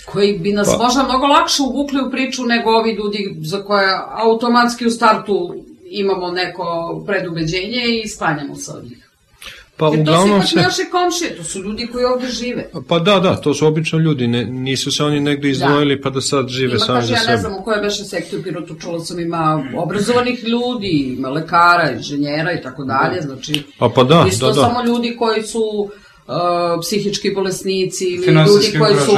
Koji bi nas pa. možda mnogo lakše uvukli u priču nego ovi ljudi za koje automatski u startu imamo neko predubeđenje i sklanjamo se od njih. Pa, jer to uglavnom su ipak se... naše komšije, to su ljudi koji ovde žive. Pa da, da, to su obično ljudi, ne, nisu se oni negde izdvojili da. pa da sad žive ima, sami za ja sebe. Ja ne znam u kojoj beše sekti u Pirotu, čula sam, ima obrazovanih ljudi, ima lekara, inženjera i tako dalje, znači A pa da, isto da, da. samo ljudi koji su uh, psihički bolesnici ili ljudi koji su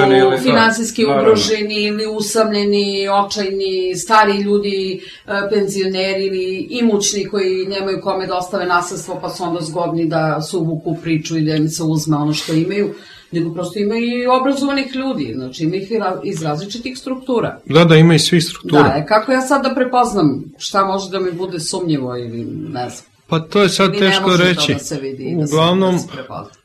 finansijski da, ugroženi ili usamljeni, očajni, stari ljudi, uh, penzioneri ili imućni koji nemaju kome da ostave nasledstvo pa su onda zgodni da se uvuku priču i da im se uzme ono što imaju, nego prosto ima i obrazovanih ljudi, znači ima ih iz različitih struktura. Da, da, ima i svih struktura. Da, kako ja sad da prepoznam šta može da mi bude sumnjivo ili ne znam. Pa to je sad ili teško reći. Da se vidi, uglavnom, da se, da se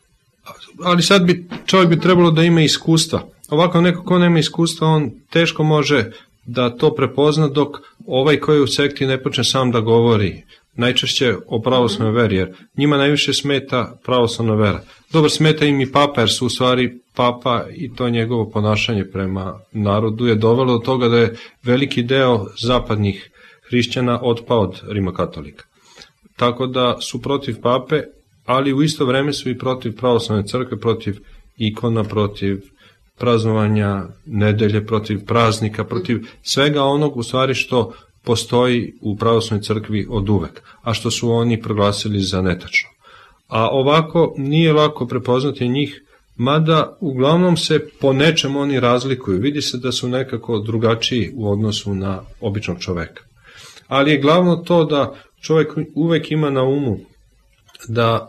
ali sad bi čovjek bi trebalo da ima iskustva. Ovako neko ko nema iskustva, on teško može da to prepozna dok ovaj koji u sekti ne počne sam da govori najčešće o pravoslavnoj veri, jer njima najviše smeta pravoslavna vera. Dobro, smeta im i papa, jer su u stvari papa i to njegovo ponašanje prema narodu je dovelo do toga da je veliki deo zapadnih hrišćana otpao od rimokatolika. Tako da su protiv pape, ali u isto vreme su i protiv pravoslavne crkve, protiv ikona, protiv praznovanja nedelje, protiv praznika, protiv svega onog u stvari što postoji u pravoslavnoj crkvi od uvek, a što su oni proglasili za netačno. A ovako nije lako prepoznati njih, mada uglavnom se po nečem oni razlikuju. Vidi se da su nekako drugačiji u odnosu na običnog čoveka. Ali je glavno to da čovek uvek ima na umu da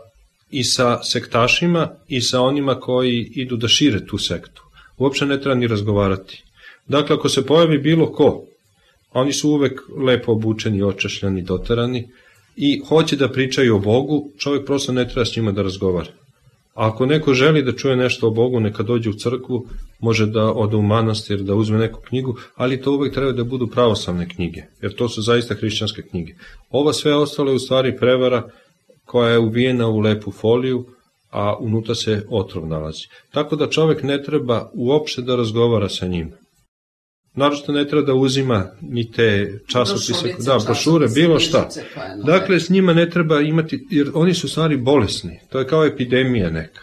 i sa sektašima i sa onima koji idu da šire tu sektu uopšte ne treba ni razgovarati. Dakle, ako se pojavi bilo ko, oni su uvek lepo obučeni, očešljani, doterani i hoće da pričaju o Bogu, čovjek prosto ne treba s njima da razgovara. A ako neko želi da čuje nešto o Bogu, neka dođe u crkvu, može da ode u manastir, da uzme neku knjigu, ali to uvek treba da budu pravoslavne knjige, jer to su zaista hrišćanske knjige. Ova sve ostalo je u stvari prevara koja je uvijena u lepu foliju, a unutra se otrov nalazi. Tako da čovjek ne treba uopšte da razgovara sa njima. Naravno ne treba da uzima ni te časopise, da, brošure, bilo šta. Dakle, s njima ne treba imati, jer oni su stvari bolesni. To je kao epidemija neka.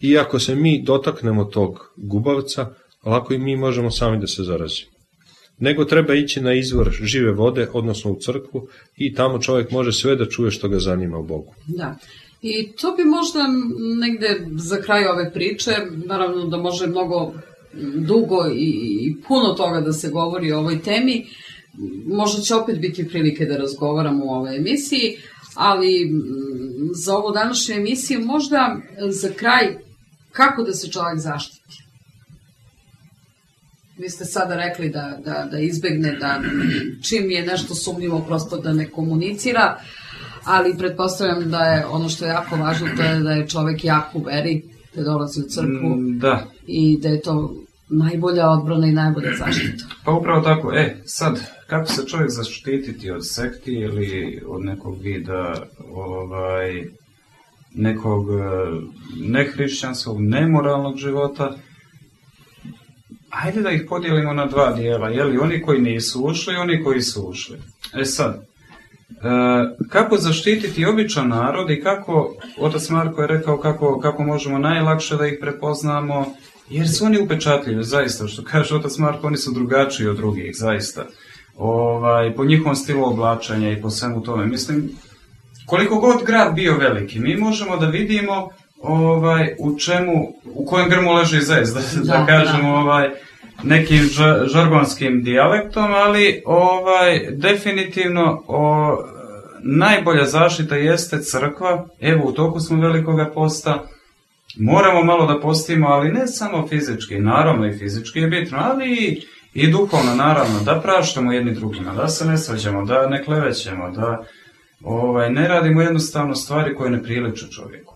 I ako se mi dotaknemo tog gubavca, lako i mi možemo sami da se zarazimo. Nego treba ići na izvor žive vode, odnosno u crkvu, i tamo čovjek može sve da čuje što ga zanima u Bogu. Da. I to bi možda negde za kraj ove priče, naravno da može mnogo dugo i puno toga da se govori o ovoj temi, možda će opet biti prilike da razgovaramo u ovoj emisiji, ali za ovu današnju emisiju možda za kraj kako da se čovjek zaštiti. Vi ste sada rekli da, da, da izbegne, da čim je nešto sumnjivo prosto da ne komunicira, ali pretpostavljam da je ono što je jako važno, to je da je čovek jak u veri, da dolazi u crkvu da. I da je to najbolja odbrana i najbolja zaštita. Pa upravo tako. E, sad, kako se čovjek zaštititi od sekti ili od nekog vida ovaj, nekog nehrišćanskog, nemoralnog života? Ajde da ih podijelimo na dva dijela, jeli oni koji nisu ušli i oni koji su ušli. E sad, E, kako zaštititi običan narod i kako, otac Marko je rekao kako, kako možemo najlakše da ih prepoznamo, jer su oni upečatljivi, zaista, što kaže otac Marko, oni su drugačiji od drugih, zaista. Ovaj, po njihovom stilu oblačenja i po svemu tome. Mislim, koliko god grad bio veliki, mi možemo da vidimo ovaj, u čemu, u kojem grmu leži zez, da, da, da kažemo, ovaj, nekim žargonskim dijalektom, ali ovaj definitivno o, najbolja zaštita jeste crkva. Evo, u toku smo velikoga posta, moramo malo da postimo, ali ne samo fizički, naravno i fizički je bitno, ali i, i duhovno, naravno, da praštamo jedni drugima, da se ne svađamo, da ne klevećemo, da ovaj, ne radimo jednostavno stvari koje ne priliče čovjeku.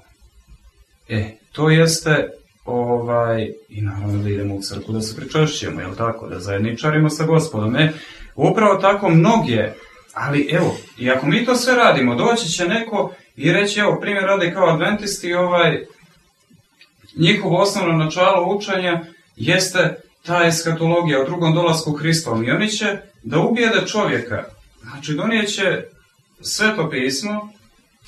E, to jeste ovaj, i naravno da idemo u crkvu da se pričešćujemo, jel tako, da zajedničarimo sa Gospodom. E, upravo tako mnoge, ali evo, i ako mi to sve radimo, doći će neko i reći, evo, primjer radi kao adventisti, ovaj, njihovo osnovno načalo učenja jeste ta eskatologija o drugom dolasku Hristovom i oni će da ubijede čovjeka, znači donijeće Sveto pismo,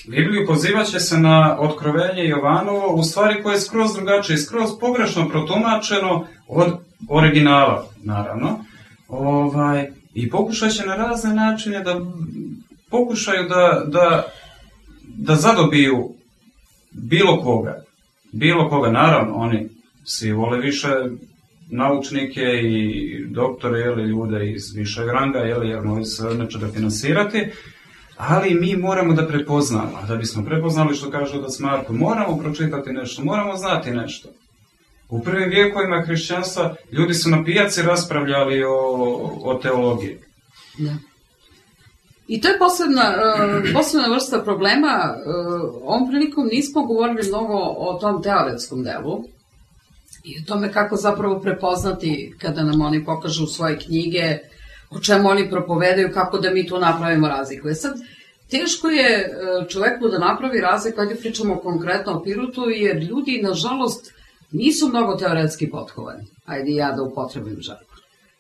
Bibliju, pozivat će se na Otkrovenje Jovanovo, u stvari koje je skroz drugačije, skroz pogrešno protumačeno od originala, naravno, ovaj, i pokušat će na razne načine da pokušaju da, da, da zadobiju bilo koga, bilo koga, naravno, oni svi vole više naučnike i doktore, jeli, ljude iz višeg ranga, jeli, jer moji se neće da finansirati, ali mi moramo da prepoznamo, a da bismo prepoznali što kaže otac Marko, moramo pročitati nešto, moramo znati nešto. U prvim vijekovima hrišćanstva ljudi su na pijaci raspravljali o, o teologiji. Da. I to je posebna, uh, posebna vrsta problema. Uh, ovom prilikom nismo govorili mnogo o tom teoretskom delu i o tome kako zapravo prepoznati kada nam oni pokažu svoje knjige, o čemu oni propovedaju, kako da mi tu napravimo razliku. E sad, teško je čoveku da napravi razliku, kada pričamo konkretno o Pirotu, jer ljudi, nažalost, nisu mnogo teoretski potkovani. Ajde ja da upotrebim žargon.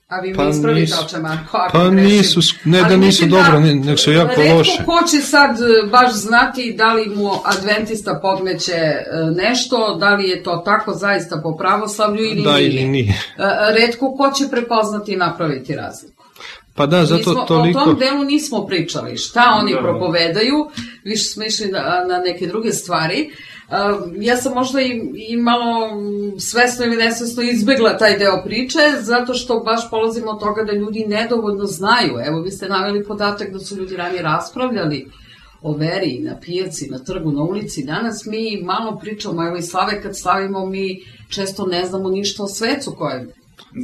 A vi mi pa ispravite o čemu, ako pa grešim. Nisu, ne da nisu da, dobro, nek su jako retko loše. Retko ko će sad baš znati da li mu adventista podmeće nešto, da li je to tako zaista po pravoslavlju ili da, nije. Ili nije. Retko ko će prepoznati i napraviti razliku. Pa da, zato nismo, toliko... O tom delu nismo pričali. Šta oni da. propovedaju, više smo išli na, na neke druge stvari. Uh, ja sam možda i, i malo svesno ili nesvesno izbegla taj deo priče, zato što baš polazimo od toga da ljudi nedovoljno znaju. Evo, vi ste naveli podatak da su ljudi ranije raspravljali o veri na pijaci, na trgu, na ulici. Danas mi malo pričamo, evo i slave kad slavimo, mi često ne znamo ništa o svecu kojem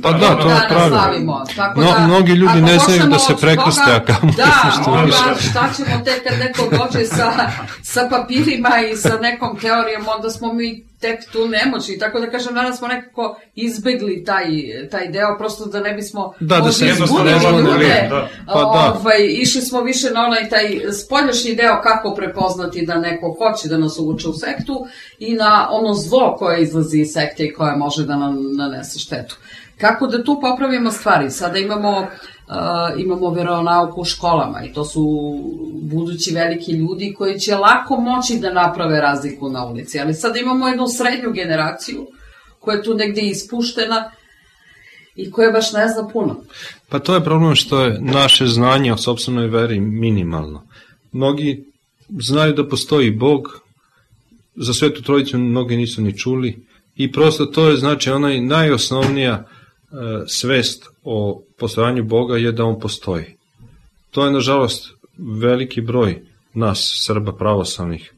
Pa da, da, to je pravilno. No, da, mnogi ljudi ne znaju da se prekrste, a kamo da, onda šta ćemo tek kad neko dođe sa, sa papirima i sa nekom teorijom, onda smo mi tek tu nemoćni. Tako da kažem, danas smo nekako izbegli taj, taj deo, prosto da ne bismo da, da se izgubili ljude. Da. Pa da. Ovaj, išli smo više na onaj taj spoljašnji deo kako prepoznati da neko hoće da nas uvuče u sektu i na ono zlo koje izlazi iz sekte i koje može da nam nanese štetu. Kako da tu popravimo stvari? Sada imamo, uh, imamo veronauku u školama i to su budući veliki ljudi koji će lako moći da naprave razliku na ulici. Ali sada imamo jednu srednju generaciju koja je tu negde ispuštena i koja baš ne zna puno. Pa to je problem što je naše znanje o sopstvenoj veri minimalno. Mnogi znaju da postoji Bog, za Svetu Trojicu mnogi nisu ni čuli i prosto to je znači onaj najosnovnija svest o postojanju Boga je da on postoji. To je nažalost veliki broj nas Srba pravoslavnih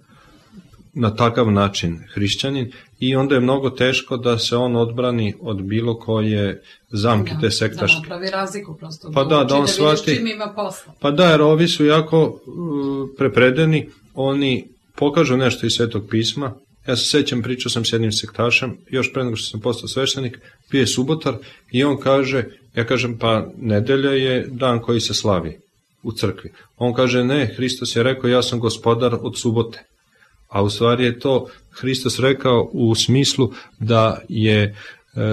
na takav način hrišćanin i onda je mnogo teško da se on odbrani od bilo koje zamke da, te sektaške. Da napravi razliku prosto. Pa da, da on da shvati. Čim ima posla. Pa da, jer ovi su jako uh, prepredeni, oni pokažu nešto iz Svetog pisma. Ja se sećam, pričao sam s jednim sektašem, još pre nego što sam postao sveštenik, bio je subotar i on kaže, ja kažem, pa nedelja je dan koji se slavi u crkvi. On kaže, ne, Hristos je rekao, ja sam gospodar od subote. A u stvari je to Hristos rekao u smislu da je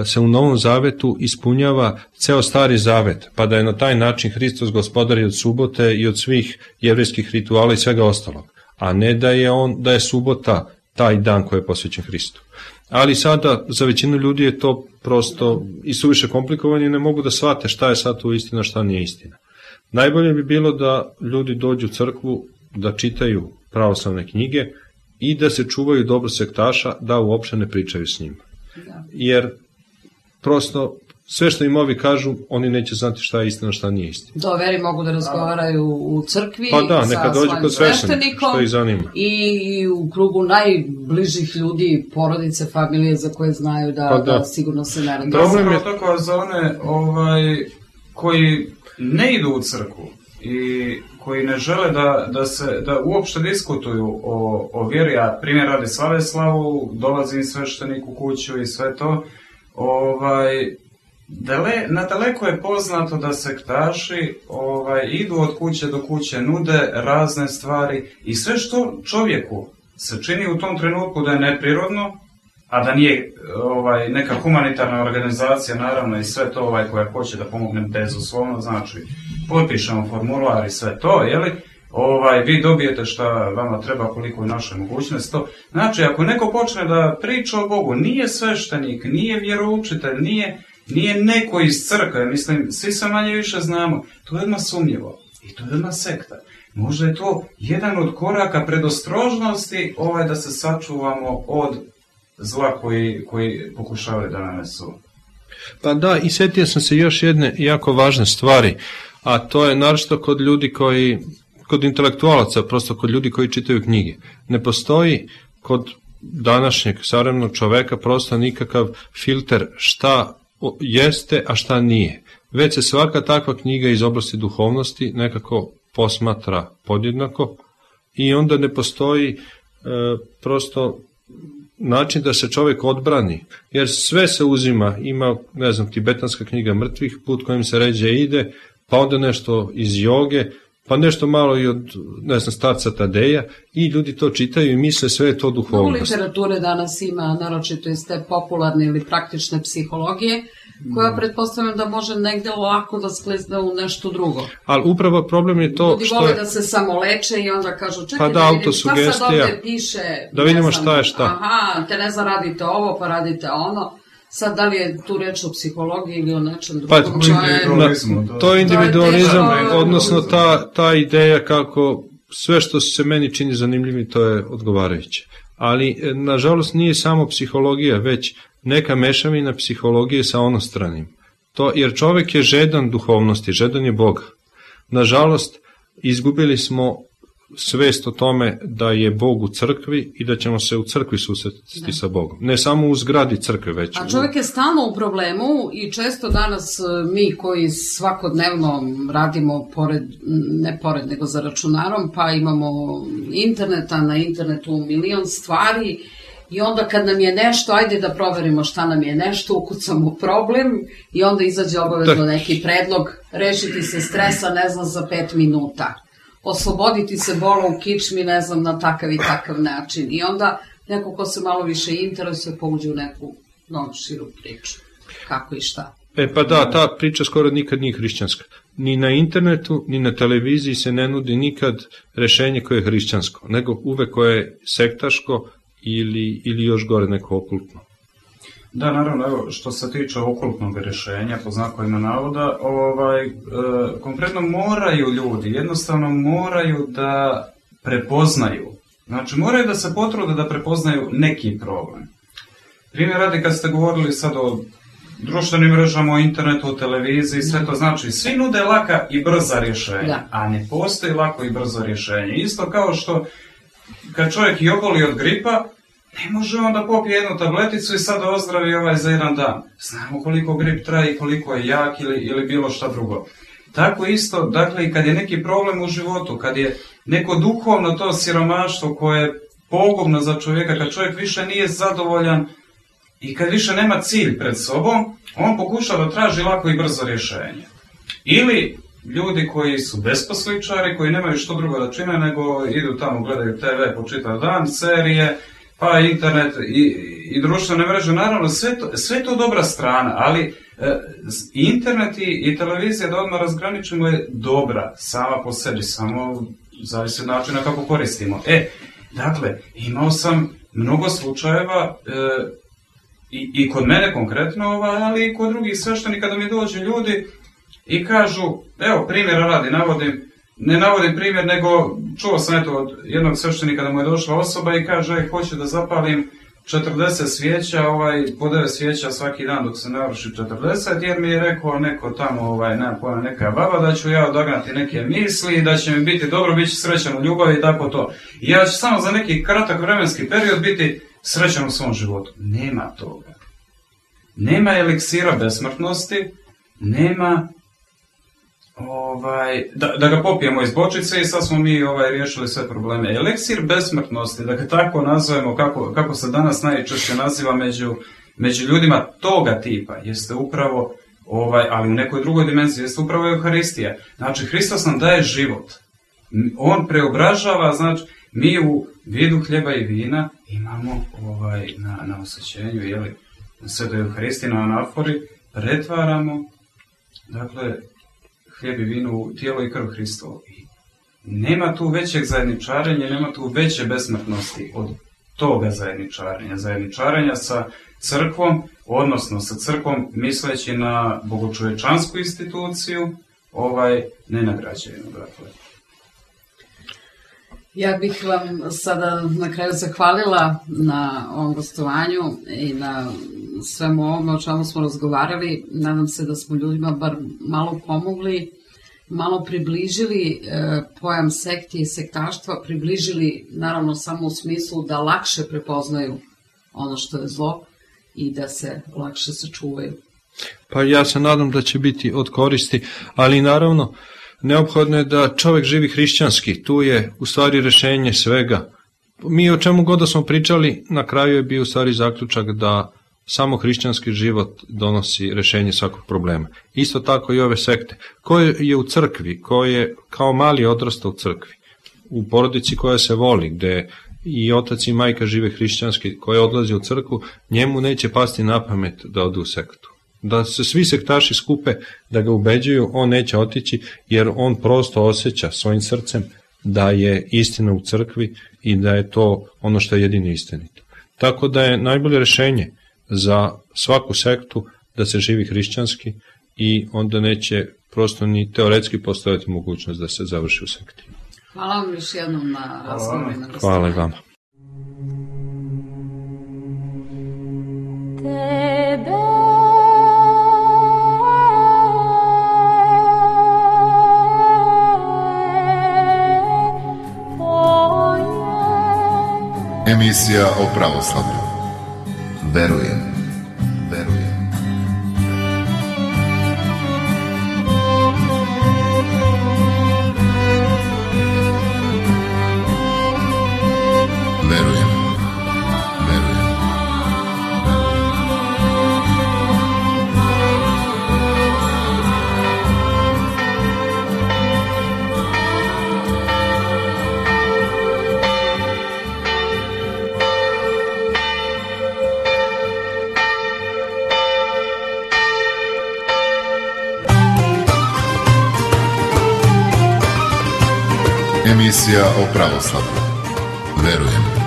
se u Novom Zavetu ispunjava ceo Stari Zavet, pa da je na taj način Hristos gospodar i od subote i od svih jevrejskih rituala i svega ostalog. A ne da je on, da je subota taj dan koji je posvećen Hristu. Ali sada za većinu ljudi je to prosto i suviše komplikovano i ne mogu da shvate šta je sad tu istina, šta nije istina. Najbolje bi bilo da ljudi dođu u crkvu, da čitaju pravoslavne knjige i da se čuvaju dobro sektaša, da uopšte ne pričaju s njima. Jer prosto sve što im ovi kažu, oni neće znati šta je istina, šta nije istina. Do veri mogu da razgovaraju u crkvi pa da, neka sa dođe svojim kod sveštenikom, što ih zanima. I u krugu najbližih ljudi, porodice, familije za koje znaju da, pa da. da sigurno se ne radi. Problem je tako za one ovaj, koji ne idu u crkvu i koji ne žele da, da se da uopšte diskutuju o, o vjeri, a primjer radi slave slavu, dolazi im sveštenik u kuću i sve to, ovaj, Dale, nadaleko je poznato da sektaši ovaj, idu od kuće do kuće, nude razne stvari i sve što čovjeku se čini u tom trenutku da je neprirodno, a da nije ovaj, neka humanitarna organizacija, naravno i sve to ovaj, koja hoće da pomogne bezuslovno, znači potpišemo formular i sve to, jeli? Ovaj, vi dobijete šta vama treba, koliko je naša mogućnost. To. Znači, ako neko počne da priča o Bogu, nije sveštenik, nije vjeroučitelj, nije, nije neko iz crkve, mislim, svi se manje više znamo, to je odmah sumnjivo i to je odmah sekta. Možda je to jedan od koraka predostrožnosti ovaj, da se sačuvamo od zla koji, koji pokušavaju da nanesu. Pa da, i sjetio sam se još jedne jako važne stvari, a to je naročito kod ljudi koji, kod intelektualaca, prosto kod ljudi koji čitaju knjige. Ne postoji kod današnjeg savremenog čoveka prosto nikakav filter šta jeste, a šta nije. Već se svaka takva knjiga iz oblasti duhovnosti nekako posmatra podjednako i onda ne postoji e, prosto način da se čovjek odbrani, jer sve se uzima, ima, ne znam, tibetanska knjiga mrtvih, put kojim se ređe ide, pa onda nešto iz joge, pa nešto malo i od, ne znam, starca Tadeja, i ljudi to čitaju i misle sve je to duhovnost. Mnogo literature danas ima, naročito iz te popularne ili praktične psihologije, koja pretpostavljam da može negde lako da sklizne u nešto drugo. Ali upravo problem je to ljudi što vole je... da se samo leče i onda kažu, čekaj pa da, da vidim šta sad ovde piše. Da vidimo znam, šta je šta. Aha, te ne znam, radite ovo, pa radite ono. Sad, da li je tu reč o psihologiji ili o nečem drugom? Pa, to, je, to je individualizam, to je odnosno ta, ta ideja kako sve što se meni čini zanimljivim, to je odgovarajuće. Ali, nažalost, nije samo psihologija, već neka mešavina psihologije sa onostranim. To, jer čovjek je žedan duhovnosti, žedan je Boga. Nažalost, izgubili smo svest o tome da je Bog u crkvi i da ćemo se u crkvi susretiti sa Bogom. Ne samo u zgradi crkve, već... A čovjek je stalno u problemu i često danas mi koji svakodnevno radimo pored, ne pored, nego za računarom, pa imamo interneta, na internetu milion stvari i onda kad nam je nešto, ajde da proverimo šta nam je nešto, ukucamo problem i onda izađe obavezno neki predlog, rešiti se stresa, ne znam, za pet minuta. Osloboditi se bola u kičmi, ne znam, na takav i takav način. I onda neko ko se malo više interesuje pouđe u neku novu širu priču. Kako i šta. E pa da, ta priča skoro nikad nije hrišćanska. Ni na internetu, ni na televiziji se ne nudi nikad rešenje koje je hrišćansko, nego uvek koje je sektaško ili, ili još gore neko okultno. Da, naravno, evo, što se tiče okultnog rješenja, po znakovima navoda, ovaj, e, konkretno moraju ljudi, jednostavno moraju da prepoznaju, znači moraju da se potrude da prepoznaju neki problem. Primjer radi, kad ste govorili sad o društvenim mrežama, o internetu, o televiziji, sve to znači, svi nude laka i brza rješenja, da. A ne postoji lako i brzo rješenje. Isto kao što kad čovjek i oboli od gripa, ne može on da popije jednu tableticu i sad ozdravi ovaj za jedan dan. Znamo koliko grip traje i koliko je jak ili, ili bilo šta drugo. Tako isto, dakle, i kad je neki problem u životu, kad je neko duhovno to siromaštvo koje je pogubno za čovjeka, kad čovjek više nije zadovoljan i kad više nema cilj pred sobom, on pokuša da traži lako i brzo rješenje. Ili ljudi koji su besposličari, koji nemaju što drugo da čine, nego idu tamo, gledaju te ve po čitav dan, serije, pa internet i, i društvene mreže, naravno sve to, sve to dobra strana, ali e, internet i, i televizija, da odmah razgraničimo, je dobra sama po sebi, samo zavisi od načina kako koristimo. E, dakle, imao sam mnogo slučajeva e, i, i kod mene konkretno, ali i kod drugih sveštenika, da mi dođu ljudi i kažu, evo primjera radi, navodim, ne navodim primjer, nego čuo sam eto od jednog sveštenika da mu je došla osoba i kaže, hoću da zapalim četrdeset svijeća, ovaj, po devet svijeća svaki dan dok se navrši četrdeset, jer mi je rekao neko tamo, ovaj, nema pojma, neka baba, da ću ja odagnati neke misli, da će mi biti dobro, bit ću srećan u ljubavi i tako to. I ja ću samo za neki kratak vremenski period biti srećan u svom životu. Nema toga. Nema eliksira besmrtnosti, nema... Ovaj, da, da ga popijemo iz bočice i sad smo mi ovaj, riješili sve probleme. Eliksir besmrtnosti, da ga tako nazovemo, kako, kako se danas najčešće naziva među, među ljudima toga tipa, jeste upravo ovaj, ali u nekoj drugoj dimenziji jeste upravo Euharistija. Znači, Hristos nam daje život. On preobražava, znači, mi u vidu hljeba i vina imamo ovaj, na, na osjećenju, jeli, na Svetoj Euharistiji, na anafori, pretvaramo, dakle, hljeb i vino u tijelo i krv Hristovo. I nema tu većeg zajedničarenja, nema tu veće besmrtnosti od toga zajedničarenja. Zajedničarenja sa crkvom, odnosno sa crkvom misleći na bogočovečansku instituciju, ovaj, nenagrađenu, dakle. Ja bih vam sada na kraju zahvalila na ovom gostovanju i na svemu ovome o čemu smo razgovarali. Nadam se da smo ljudima bar malo pomogli, malo približili e, pojam sekti i sektaštva, približili naravno samo u smislu da lakše prepoznaju ono što je zlo i da se lakše sačuvaju. Pa ja se nadam da će biti od koristi, ali naravno neophodno je da čovjek živi hrišćanski, tu je u stvari rešenje svega. Mi o čemu god da smo pričali, na kraju je bio u stvari zaključak da samo hrišćanski život donosi rešenje svakog problema. Isto tako i ove sekte. Ko je u crkvi, ko je kao mali odrastao u crkvi, u porodici koja se voli, gde i otac i majka žive hrišćanski, koja odlazi u crkvu, njemu neće pasti na pamet da ode u sektu. Da se svi sektaši skupe, da ga ubeđuju, on neće otići, jer on prosto osjeća svojim srcem da je istina u crkvi i da je to ono što je jedino istinito. Tako da je najbolje rešenje za svaku sektu da se živi hrišćanski i onda neće prosto ni teoretski postojati mogućnost da se završi u sekti. Hvala vam još jednom na razgovoru. Hvala i vama. Emisija o pravoslavlju. Verujem, verujem. Verujem, verujem. Emisija o pravoslavlju. Verujem.